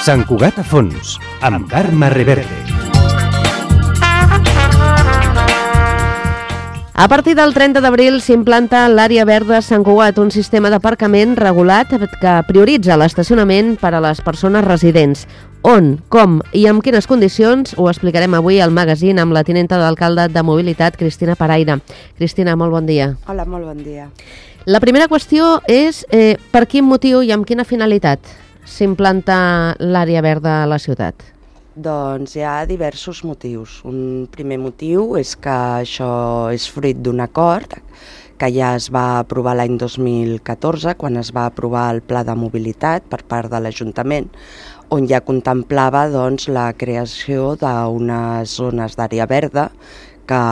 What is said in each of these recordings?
Sant Cugat a fons, amb Carme Reverte. A partir del 30 d'abril s'implanta l'àrea verda Sant Cugat, un sistema d'aparcament regulat que prioritza l'estacionament per a les persones residents. On, com i amb quines condicions ho explicarem avui al magazín amb la tinenta d'alcalde de Mobilitat, Cristina Paraire. Cristina, molt bon dia. Hola, molt bon dia. La primera qüestió és per quin motiu i amb quina finalitat s'implanta l'àrea verda a la ciutat? Doncs hi ha diversos motius. Un primer motiu és que això és fruit d'un acord que ja es va aprovar l'any 2014, quan es va aprovar el Pla de Mobilitat per part de l'Ajuntament, on ja contemplava doncs, la creació d'unes zones d'àrea verda que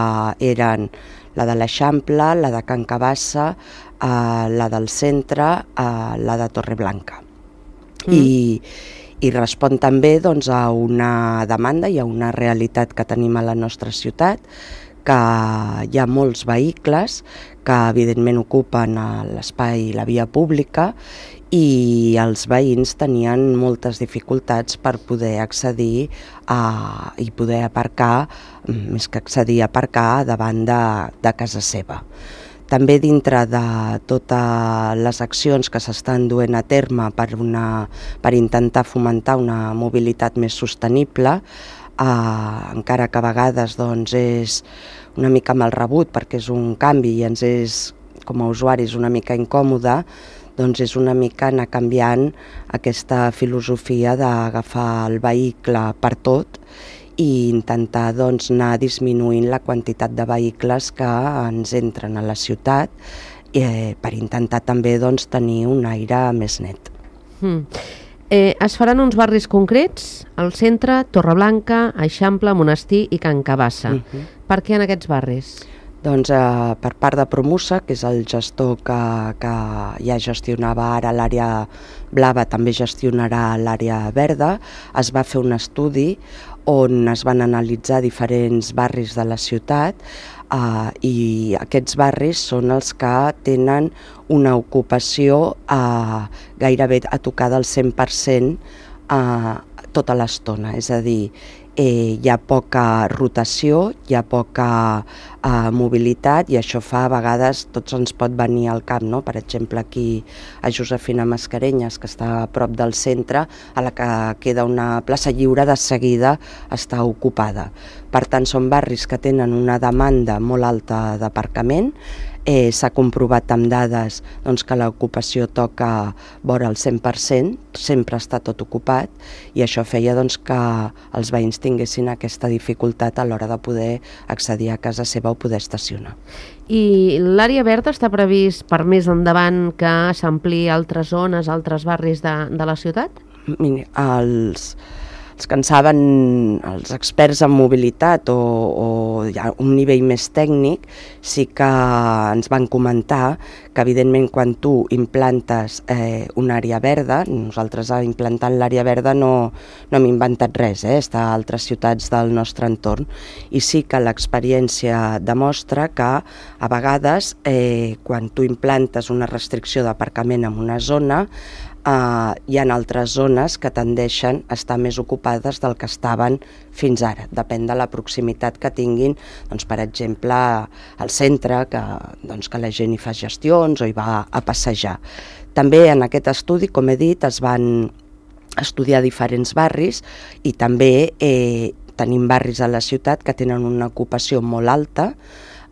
eren la de l'Eixample, la de Can Cabassa, la del centre, la de Torreblanca. I respon també doncs, a una demanda i a una realitat que tenim a la nostra ciutat, que hi ha molts vehicles que evidentment ocupen l'espai i la via pública i els veïns tenien moltes dificultats per poder accedir i poder aparcar, més que accedir a aparcar davant de casa seva. També dintre de totes les accions que s'estan duent a terme per intentar fomentar una mobilitat més sostenible, encara que a vegades doncs, és una mica mal rebut perquè és un canvi i ens és, com a usuaris, una mica incòmode, doncs és una mica anar canviant aquesta filosofia d'agafar el vehicle per tot i intentar doncs, anar disminuint la quantitat de vehicles que ens entren a la ciutat per intentar també doncs, tenir un aire més net. Es faran uns barris concrets, al centre, Torreblanca, Eixample, Monestir i Can Cabassa. Per què en aquests barris? Doncs per part de Promusa, que és el gestor que ja gestionava ara l'àrea blava, també gestionarà l'àrea verda, es va fer un estudi on es van analitzar diferents barris de la ciutat i aquests barris són els que tenen una ocupació gairebé a tocar del 100% tota l'estona, és a dir, hi ha poca rotació, hi ha poca mobilitat i això fa, a vegades, tots ens pot venir al cap, no? Per exemple, aquí a Josefina Mascarenyes, que està a prop del centre, a la que queda una plaça lliure, de seguida està ocupada. Per tant, són barris que tenen una demanda molt alta d'aparcament. S'ha comprovat amb dades doncs, que l'ocupació toca vora el 100%, sempre està tot ocupat, i això feia doncs, que els veïns tinguessin aquesta dificultat a l'hora de poder accedir a casa seva o poder estacionar. I l'àrea verda està previst per més endavant que s'ampliï a altres zones, a altres barris de la ciutat? Mira, els que en saben, els experts en mobilitat o ja un nivell més tècnic, sí que ens van comentar que evidentment quan tu implantes una àrea verda, nosaltres implantant l'àrea verda no hem inventat res, està a altres ciutats del nostre entorn, i sí que l'experiència demostra que a vegades quan tu implantes una restricció d'aparcament en una zona, hi ha altres zones que tendeixen a estar més ocupades del que estaven fins ara. Depèn de la proximitat que tinguin, doncs, per exemple, al centre, que la gent hi fa gestions o hi va a passejar. També en aquest estudi, com he dit, es van estudiar diferents barris i també tenim barris a la ciutat que tenen una ocupació molt alta,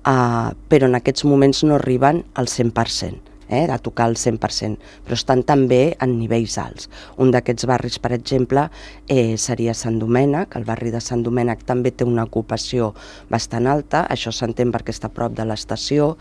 però en aquests moments no arriben al 100%. De tocar el 100%, però estan també en nivells alts. Un d'aquests barris, per exemple, seria Sant Domènec. El barri de Sant Domènec també té una ocupació bastant alta, això s'entén perquè està a prop de l'estació,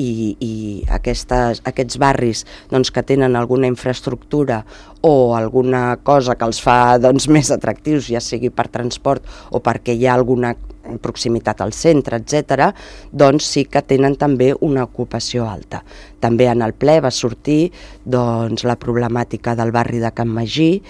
i aquests barris doncs, que tenen alguna infraestructura o alguna cosa que els fa doncs, més atractius, ja sigui per transport o perquè hi ha alguna proximitat al centre, etc., doncs sí que tenen també una ocupació alta. També en el ple va sortir doncs, la problemàtica del barri de Can Magí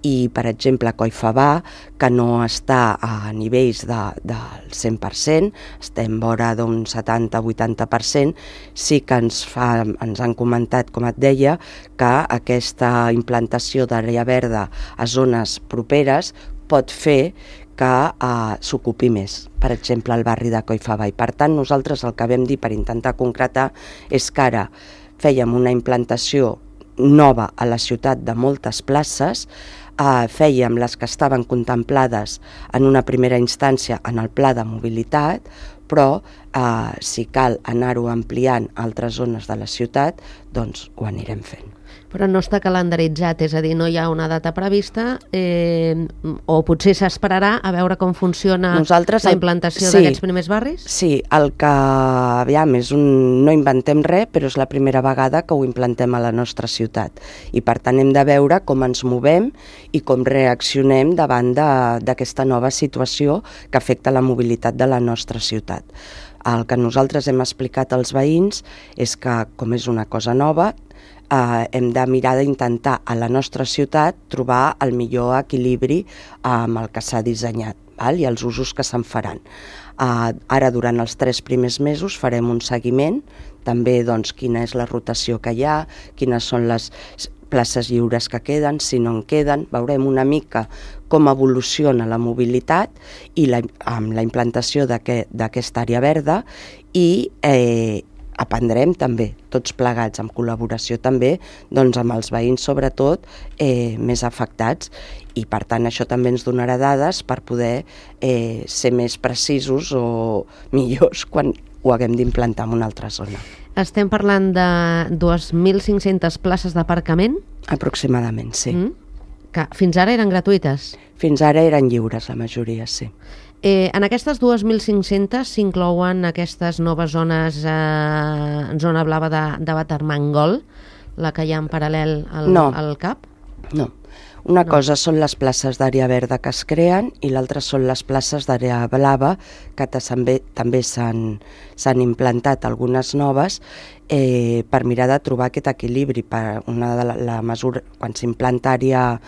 i, per exemple, Collfabà, que no està a nivells del 100%, estem vora d'un 70-80%, sí que ens han comentat, com et deia, que aquesta implantació d'àrea verda a zones properes pot fer que s'ocupi més, per exemple, el barri de Collfabà. I, per tant, nosaltres el que vam dir per intentar concretar és que ara fèiem una implantació nova a la ciutat de moltes places, fèiem les que estaven contemplades en una primera instància en el pla de mobilitat, però si cal anar-ho ampliant a altres zones de la ciutat, doncs ho anirem fent. Però no està calendaritzat, és a dir, no hi ha una data prevista o potser s'esperarà a veure com funciona la implantació d'aquests primers barris? Sí, el que, aviam, no inventem res, però és la primera vegada que ho implantem a la nostra ciutat. I per tant hem de veure com ens movem i com reaccionem davant d'aquesta nova situació que afecta la mobilitat de la nostra ciutat. El que nosaltres hem explicat als veïns és que, com és una cosa nova, hem de mirar d'intentar a la nostra ciutat trobar el millor equilibri amb el que s'ha dissenyat i els usos que se'n faran. Ara, durant els 3 primers mesos, farem un seguiment, també doncs, quina és la rotació que hi ha, quines són les places lliures que queden, si no en queden, veurem una mica com evoluciona la mobilitat i amb la implantació d'aquesta àrea verda i aprendrem també, tots plegats, en col·laboració també, doncs amb els veïns sobretot més afectats, i per tant això també ens donarà dades per poder ser més precisos o millors quan ho haguem d'implantar en una altra zona. Estem parlant de 2.500 places d'aparcament? Aproximadament, sí. Que fins ara eren gratuïtes? Fins ara eren lliures, la majoria, sí. En aquestes 2.500 s'inclouen aquestes noves zones, zona blava de Batermangol, la que hi ha en paral·lel al CAP? No. Una cosa són les places d'àrea verda que es creen i l'altra són les places d'àrea blava que també s'han implantat algunes noves per mirar de trobar aquest equilibri. La mesura, quan s'implanta àrea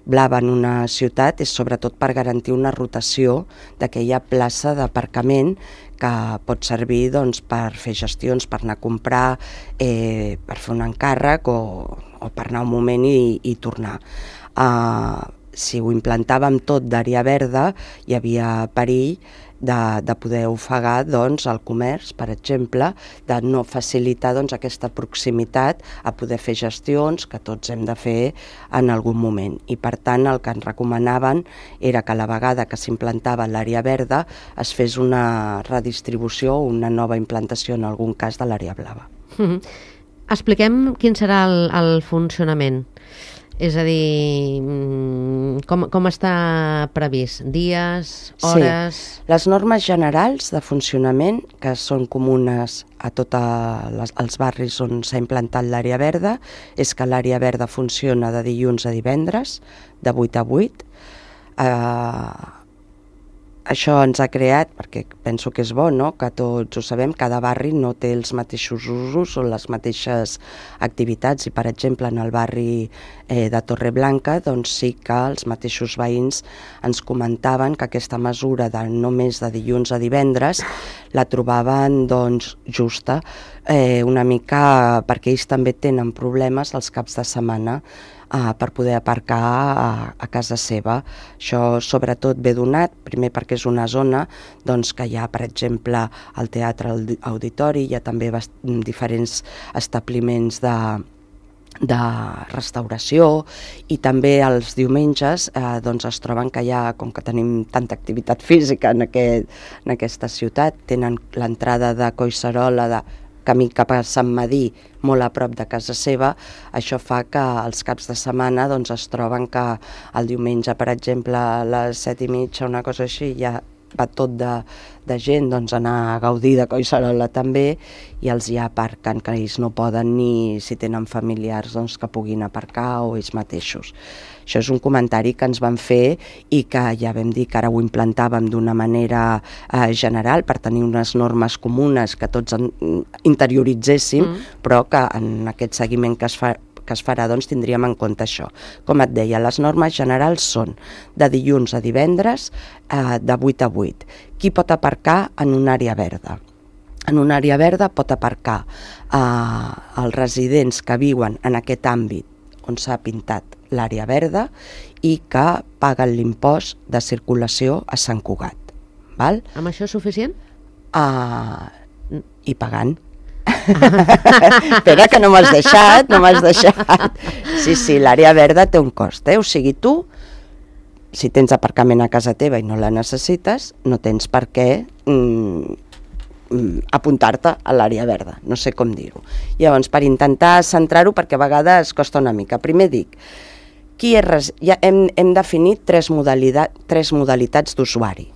blava en una ciutat és sobretot per garantir una rotació d'aquella plaça d'aparcament que pot servir doncs, per fer gestions, per anar a comprar, per fer un encàrrec o per anar un moment i tornar. Si ho implantàvem tot d'àrea verda, hi havia perill de poder ofegar doncs, el comerç, per exemple, de no facilitar doncs, aquesta proximitat a poder fer gestions que tots hem de fer en algun moment. I per tant el que ens recomanaven era que a la vegada que s'implantava l'àrea verda es fes una redistribució o una nova implantació en algun cas de l'àrea blava. Expliquem quin serà el funcionament. És a dir, com està previst? Dies, hores? Sí. Les normes generals de funcionament, que són comunes a tots els barris on s'ha implantat l'àrea verda, és que l'àrea verda funciona de dilluns a divendres, de 8 a 8. Això ens ha creat, perquè penso que és bo, no? Que tots ho sabem, cada barri no té els mateixos usos o les mateixes activitats i, per exemple, en el barri de Torreblanca doncs sí que els mateixos veïns ens comentaven que aquesta mesura de només de dilluns a divendres la trobaven doncs justa, una mica perquè ells també tenen problemes els caps de setmana per poder aparcar a casa seva. Això sobretot ve donat, primer perquè és una zona doncs, que hi ha, per exemple, el teatre auditori, hi ha també diferents establiments de restauració i també els diumenges doncs es troben que hi ha, com que tenim tanta activitat física en aquesta ciutat, tenen l'entrada de Collserola, de camí cap a Sant Medir, molt a prop de casa seva, això fa que els caps de setmana doncs, es troben que el diumenge, per exemple, a les 7:30, una cosa així, ja va tot de gent doncs, anar a gaudir de Collserola també, i els hi aparquen, que ells no poden ni si tenen familiars doncs, que puguin aparcar o ells mateixos. Això és un comentari que ens van fer i que ja vam dir que ara ho implantàvem d'una manera general per tenir unes normes comunes que tots interioritzéssim, però que en aquest seguiment que es farà doncs, tindríem en compte això. Com et deia, les normes generals són de dilluns a divendres de 8 a 8. Qui pot aparcar en una àrea verda? En una àrea verda pot aparcar els residents que viuen en aquest àmbit on s'ha pintat l'àrea verda i que paguen l'impost de circulació a Sant Cugat. Val? Amb això és suficient? I pagant. Espera, que no m'has deixat. Sí, l'àrea verda té un cost, O sigui, tu, si tens aparcament a casa teva i no la necessites, no tens per què apuntar-te a l'àrea verda, no sé com dir-ho. Llavors, per intentar centrar-ho, perquè a vegades costa una mica, primer dic, ja hem definit tres modalitats d'usuari.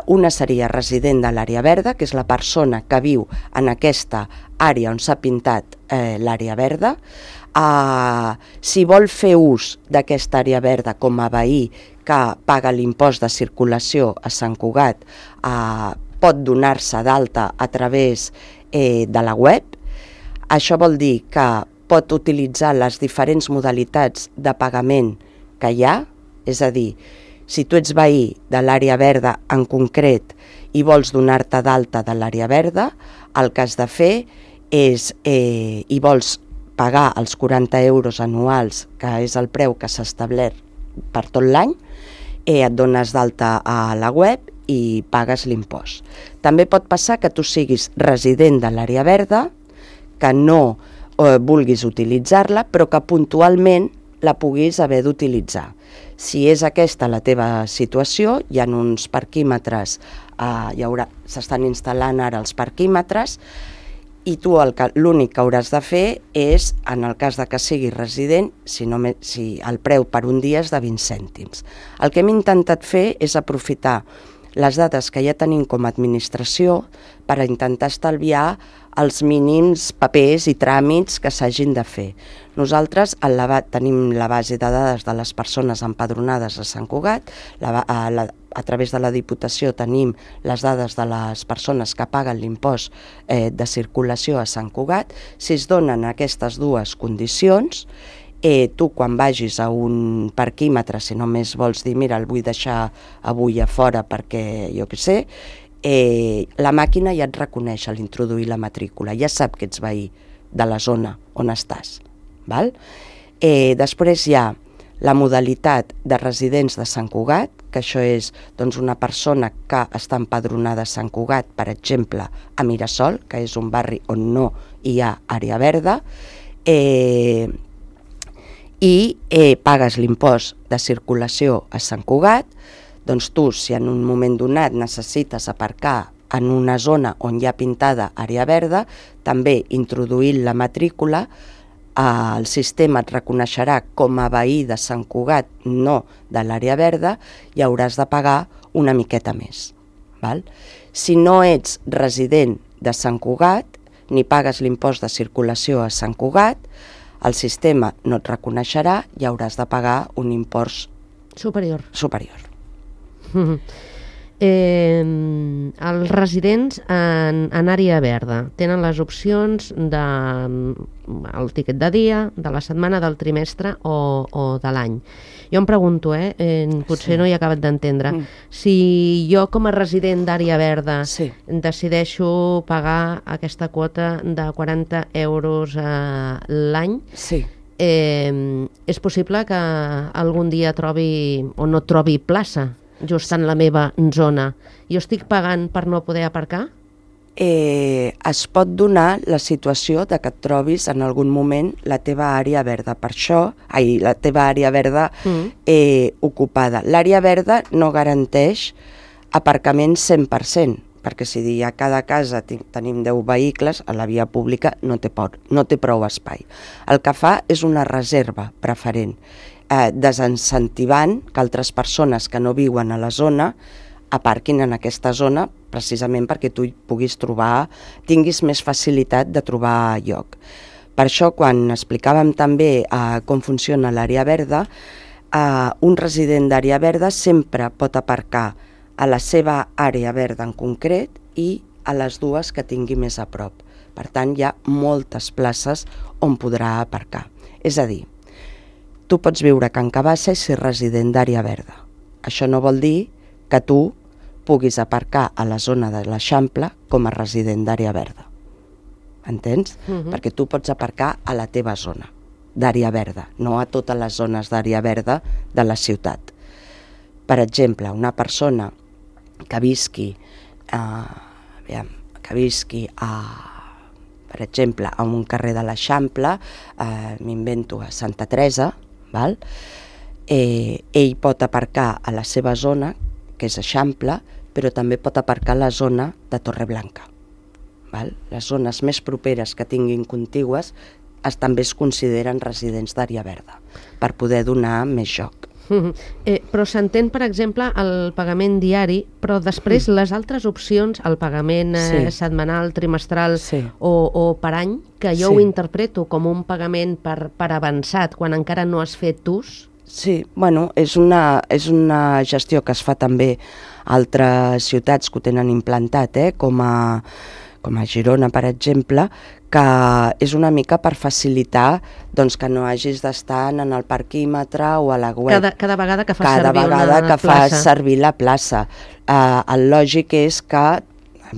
Una seria resident de l'àrea verda, que és la persona que viu en aquesta àrea on s'ha pintat l'àrea verda. Si vol fer ús d'aquesta àrea verda com a veí que paga l'impost de circulació a Sant Cugat, pot donar-se d'alta a través de la web. Això vol dir que pot utilitzar les diferents modalitats de pagament que hi ha, és a dir, si tu ets veí de l'àrea verda en concret i vols donar-te d'alta de l'àrea verda, el que has de fer és, i vols pagar els 40 euros anuals, que és el preu que s'ha establert per tot l'any, et dones d'alta a la web i pagues l'impost. També pot passar que tu siguis resident de l'àrea verda, que no vulguis utilitzar-la, però que puntualment la puguis haver d'utilitzar. Si és aquesta la teva situació, hi ha uns parquímetres, s'estan instal·lant ara els parquímetres, i tu l'únic que hauràs de fer és, en el cas de que siguis resident, si el preu per un dia és de 20 cèntims. El que hem intentat fer és aprofitar les dades que ja tenim com a administració per intentar estalviar els mínims papers i tràmits que s'hagin de fer. Nosaltres tenim la base de dades de les persones empadronades a Sant Cugat, a través de la Diputació tenim les dades de les persones que paguen l'impost de circulació a Sant Cugat. Si es donen aquestes dues condicions, tu quan vagis a un parquímetre, si només vols dir, mira, el vull deixar avui a fora perquè jo què sé, la màquina ja et reconeix a l'introduir la matrícula, ja sap que ets veí de la zona on estàs. Després hi ha la modalitat de residents de Sant Cugat, que això és una persona que està empadronada a Sant Cugat, per exemple, a Mirasol, que és un barri on no hi ha àrea verda, i pagues l'impost de circulació a Sant Cugat. Doncs tu, si en un moment donat necessites aparcar en una zona on hi ha pintada àrea verda, també introduint la matrícula, el sistema et reconeixerà com a veí de Sant Cugat, no de l'àrea verda, i hauràs de pagar una miqueta més. Si no ets resident de Sant Cugat, ni pagues l'impost de circulació a Sant Cugat, el sistema no et reconeixerà i hauràs de pagar un impost superior. Els residents en àrea verda tenen les opcions del tiquet de dia, de la setmana, del trimestre o de l'any. Jo em pregunto, potser no hi he acabat d'entendre, si jo com a resident d'àrea verda decideixo pagar aquesta quota de 40 euros l'any, és possible que algun dia trobi o no trobi plaça just en la meva zona. Jo estic pagant per no poder aparcar? Es pot donar la situació de que et trobis en algun moment la teva àrea verda. Per això, la teva àrea verda ocupada. L'àrea verda no garanteix aparcament 100%, perquè si a cada casa tenim 10 vehicles, a la via pública no té prou espai. El que fa és una reserva preferent, desincentivant que altres persones que no viuen a la zona aparquin en aquesta zona precisament perquè tu tinguis més facilitat de trobar lloc. Per això, quan explicàvem també com funciona l'àrea verda, un resident d'àrea verda sempre pot aparcar a la seva àrea verda en concret i a les dues que tingui més a prop. Per tant, hi ha moltes places on podrà aparcar. És a dir, tu pots viure a Can Cabassa i ser resident d'àrea verda. Això no vol dir que tu puguis aparcar a la zona de l'Eixample com a resident d'àrea verda. Entens? Perquè tu pots aparcar a la teva zona d'àrea verda, no a totes les zones d'àrea verda de la ciutat. Per exemple, una persona que visqui per exemple, a un carrer de l'Eixample, m'invento a Santa Teresa, val? Ell pot aparcar a la seva zona, que és Eixample, però també pot aparcar a la zona de Torreblanca. Val? Les zones més properes que tinguin contigües també es consideren residents d'àrea verda, per poder donar més joc. Però s'entén, per exemple, el pagament diari, però després les altres opcions, el pagament setmanal, trimestral o per any, que jo ho interpreto com un pagament per avançat, quan encara no has fet ús. Sí, bueno, és una gestió que es fa també a altres ciutats que ho tenen implantat, com a Girona, per exemple, que és una mica per facilitar que no hagis d'estar en el parquímetre o a la web. Cada vegada que fas servir la plaça. El lògic és que, a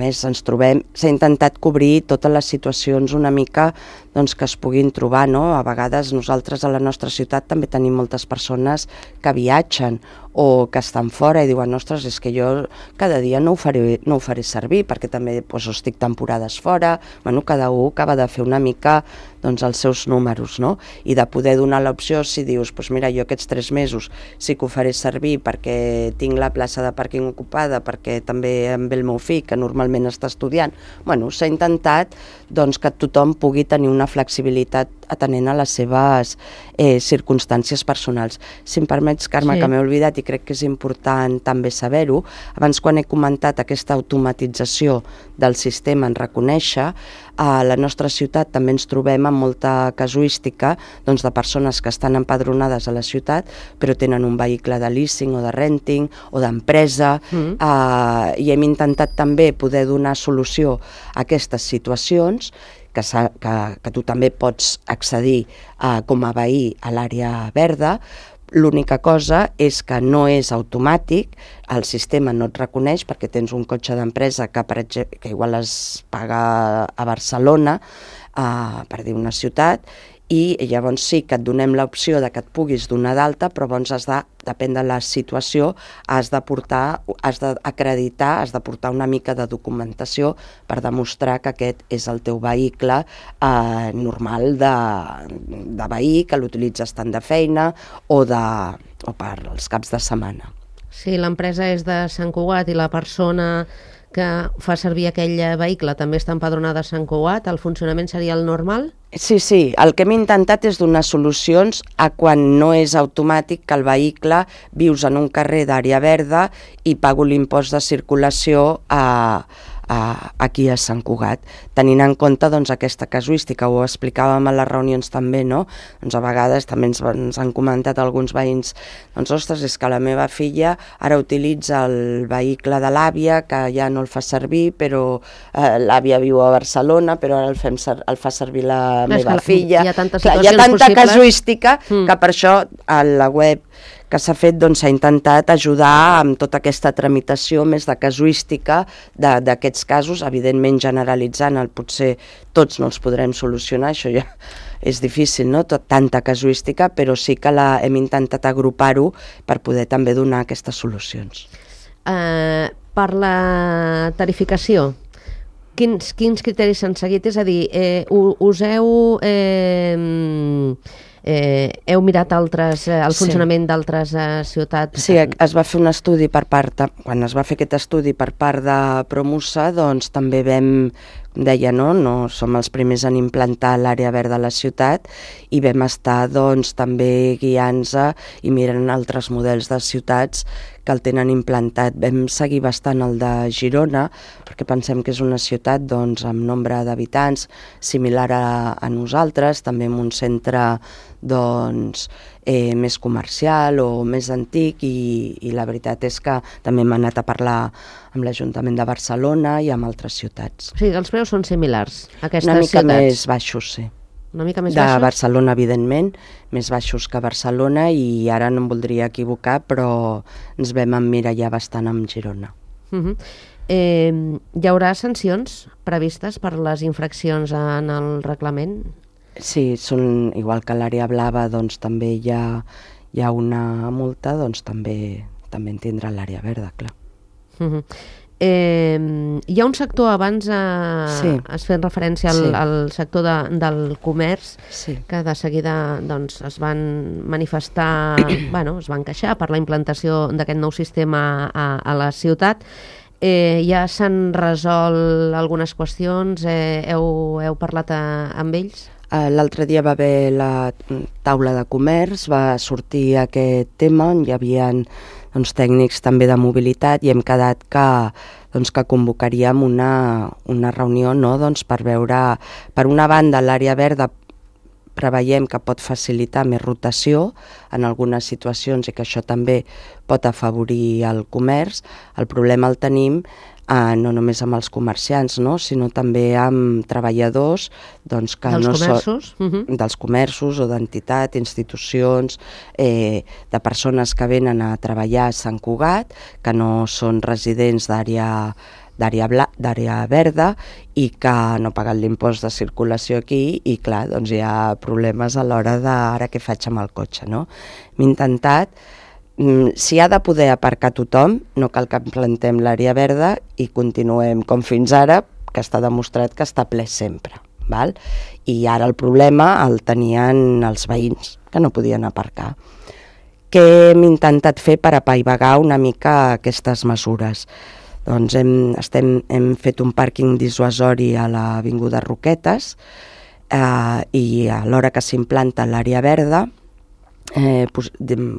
més, s'ha intentat cobrir totes les situacions una mica que es puguin trobar, no? A vegades nosaltres a la nostra ciutat també tenim moltes persones que viatgen o que estan fora i diuen, ostres, és que jo cada dia no ho faré servir perquè també estic temporades fora. Bueno, cada un acaba de fer una mica els seus números, no? I de poder donar l'opció, si dius, mira, jo aquests 3 mesos sí que ho faré servir perquè tinc la plaça de pàrquing ocupada, perquè també em ve el meu fill, que normalment està estudiant. Bueno, s'ha intentat que tothom pugui tenir una flexibilitat atenent a les seves circumstàncies personals. Si em permets, Carme, que m'he oblidat i crec que és important també saber-ho, abans quan he comentat aquesta automatització del sistema en reconèixer, a la nostra ciutat també ens trobem amb molta casuística de persones que estan empadronades a la ciutat però tenen un vehicle de leasing o de renting o d'empresa i hem intentat també poder donar solució a aquestes situacions que tu també pots accedir com a veí a l'àrea verda. L'única cosa és que no és automàtic, el sistema no et reconeix perquè tens un cotxe d'empresa que igual es paga a Barcelona, per dir una ciutat, i llavors sí que et donem l'opció de que et puguis donar d'alta, però llavors depèn de la situació, has d'acreditar, has de portar una mica de documentació per demostrar que aquest és el teu vehicle normal de veí, que l'utilitzes tant de feina o per als caps de setmana. Si l'empresa és de Sant Cugat i la persona que fa servir aquell vehicle també està empadronada a Sant Cugat, el funcionament seria el normal? Sí, el que hem intentat és donar solucions a quan no és automàtic que el vehicle vius en un carrer d'àrea verda i pago l'impost de circulació aquí a Sant Cugat, tenint en compte aquesta casuística. Ho explicàvem a les reunions també, no? A vegades també ens han comentat alguns veïns, ostres, és que la meva filla ara utilitza el vehicle de l'àvia, que ja no el fa servir, però l'àvia viu a Barcelona, però ara el fa servir la meva filla. Hi ha tanta casuística que per això a la web que s'ha fet s'ha intentat ajudar amb tota aquesta tramitació més de casuística d'aquests casos, evidentment generalitzant, potser tots no els podrem solucionar, això ja és difícil, no? Tanta casuística, però sí que hem intentat agrupar-ho per poder també donar aquestes solucions. Per la tarificació, quins criteris s'han seguit? És a dir, us heu mirat el funcionament d'altres ciutats? Sí, es va fer un estudi quan es va fer aquest estudi per part de Promusa, també vam deia, no som els primers en implantar l'àrea verda a la ciutat i vam estar doncs, també guiant-se i mirant altres models de ciutats que el tenen implantat. Vam seguir bastant el de Girona perquè pensem que és una ciutat doncs, amb nombre d'habitants similar a nosaltres, també amb un centre doncs, més comercial o més antic i la veritat és que també hem anat a parlar amb l'Ajuntament de Barcelona i amb altres ciutats. O sigui, els preus són similars a aquestes Una mica ciutats? més baixos, sí. Una mica més de baixos? Barcelona, evidentment, més baixos que Barcelona i ara no em voldria equivocar, però ens vam emmirallar bastant amb Girona. Hi haurà sancions previstes per les infraccions en el reglament? Sí, són igual que a l'àrea blava, doncs també hi ha una multa, doncs també en tindrà l'àrea verda, clar. Hi ha un sector, abans has fet referència al sector del comerç, que de seguida doncs, es van manifestar, es van queixar per la implantació d'aquest nou sistema a la ciutat. Ja s'han resolt algunes qüestions? Heu parlat amb ells? L'altre dia va haver la taula de comerç, va sortir aquest tema, hi havia tècnics també de mobilitat i hem quedat que convocaríem una reunió per veure, per una banda, l'àrea verda preveiem que pot facilitar més rotació en algunes situacions i que això també pot afavorir el comerç. El problema el tenim no només amb els comerciants, sinó també amb treballadors que dels comerços o d'entitats, institucions, de persones que venen a treballar a Sant Cugat, que no són residents d'àrea verda i que no paguen l'impost de circulació aquí i clar, doncs hi ha problemes a l'hora de ara què faig amb el cotxe, no? Hem intentat, si ha de poder aparcar tothom, no cal que plantem l'àrea verda i continuem com fins ara, que està demostrat que està ple sempre. Val? I ara el problema el tenien els veïns, que no podien aparcar. Què hem intentat fer per apaivagar una mica aquestes mesures? Doncs hem fet un pàrquing dissuasori a l'avinguda Roquetes i a l'hora que s'implanta l'àrea verda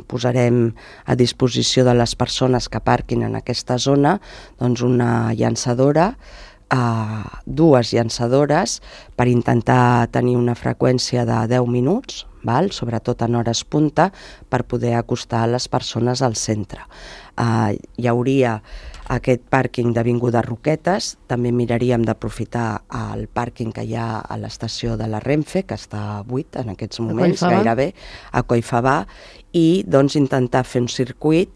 posarem a disposició de les persones que aparquin en aquesta zona doncs una llançadora, dues llançadores per intentar tenir una freqüència de 10 minuts, sobretot en hores punta, per poder acostar les persones al centre. Hi hauria aquest pàrquing d'Avinguda Roquetes, també miraríem d'aprofitar el pàrquing que hi ha a l'estació de la Renfe, que està buit en aquests moments, gairebé, a Collfabà, i doncs intentar fer un circuit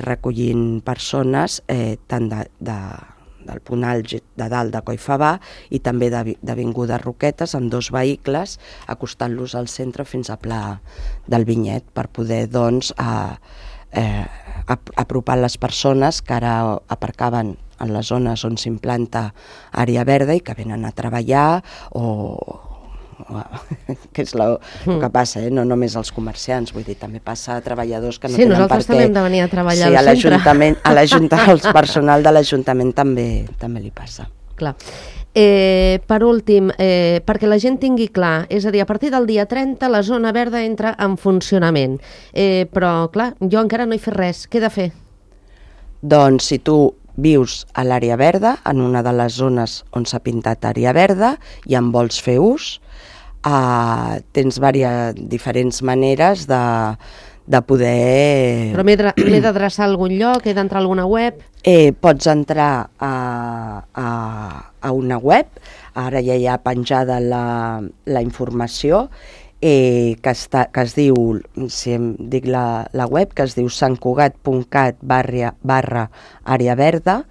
recollint persones tant del punt àlgid de dalt de Collfabà i també d'Avinguda Roquetes amb dos vehicles, acostant-los al centre fins a Pla del Vinyet per poder doncs apropar les persones que ara aparcaven en les zones on s'implanta àrea verda i que venen a treballar que és el que passa, no només els comerciants, vull dir, també passa a treballadors que no tenen per què. Sí, nosaltres també hem de venir a treballar al centre. Al personal de l'Ajuntament també li passa. Clar. Per últim, perquè la gent tingui clar, és a dir, a partir del dia 30 la zona verda entra en funcionament, però clar, jo encara no he fet res, què he de fer? Doncs si tu vius a l'àrea verda, en una de les zones on s'ha pintat àrea verda i en vols fer ús, tens diferents maneres de poder... Però m'he d'adreçar a algun lloc, he d'entrar a alguna web? Pots entrar a una web, ara ja hi ha penjada la informació, que es diu, si em dic la web, que es diu santcugat.cat/àrea verda,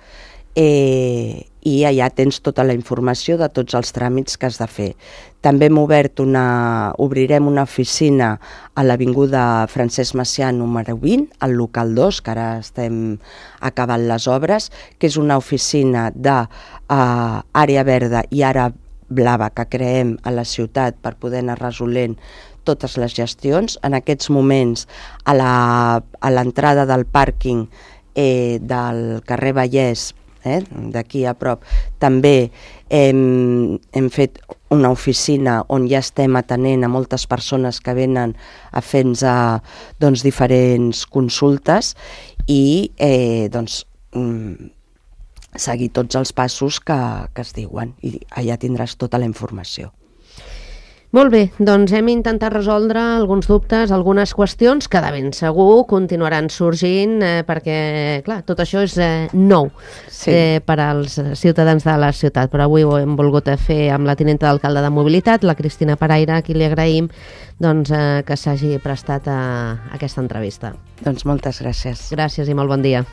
i allà tens tota la informació de tots els tràmits que has de fer. També obrirem una oficina a l'Avinguda Francesc Macià número 20, al local 2, que ara estem acabant les obres, que és una oficina d'àrea verda i àrea blava que creem a la ciutat per poder anar resolent totes les gestions. En aquests moments, a l'entrada del pàrquing del carrer Vallès d'aquí a prop. També hem fet una oficina on ja estem atenent a moltes persones que venen a fer-nos diferents consultes i seguir tots els passos que es diuen, i allà tindràs tota la informació. Molt bé, doncs hem intentat resoldre alguns dubtes, algunes qüestions que de ben segur continuaran sorgint perquè, clar, tot això és nou per als ciutadans de la ciutat, però avui ho hem volgut fer amb la tinenta d'alcalde de Mobilitat, la Cristina Paraire, a qui li agraïm que s'hagi prestat a aquesta entrevista. Doncs moltes gràcies. Gràcies i molt bon dia.